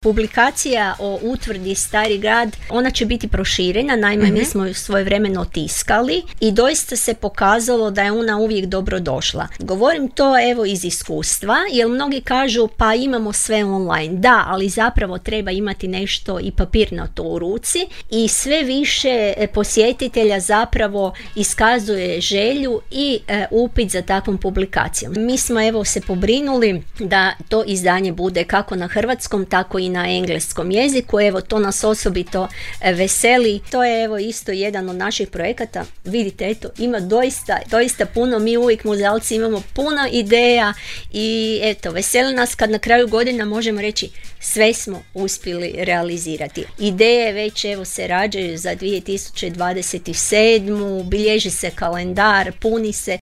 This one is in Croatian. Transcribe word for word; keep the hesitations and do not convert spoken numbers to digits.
Publikacija o utvrdi Stari grad, ona će biti proširena, naime mm-hmm. mi smo ju svojevremeno tiskali i doista se pokazalo da je ona uvijek dobro došla. Govorim to evo iz iskustva, jer mnogi kažu pa imamo sve online. Da, ali zapravo treba imati nešto i papirnato u ruci i sve više posjetitelja zapravo iskazuje želju i e, upit za takvom publikacijom. Mi smo evo se pobrinuli da to izdanje bude kako na hrvatskom, tako i na engleskom jeziku. Evo, to nas osobito veseli. To je evo isto jedan od naših projekata. Vidite, eto, ima doista, doista puno. Mi uvijek muzealci imamo puno ideja i eto, veseli nas kad na kraju godina možemo reći sve smo uspjeli realizirati. Ideje već evo se rađaju za dvije tisuće dvadeset sedmu, bilježi se kalendar, puni se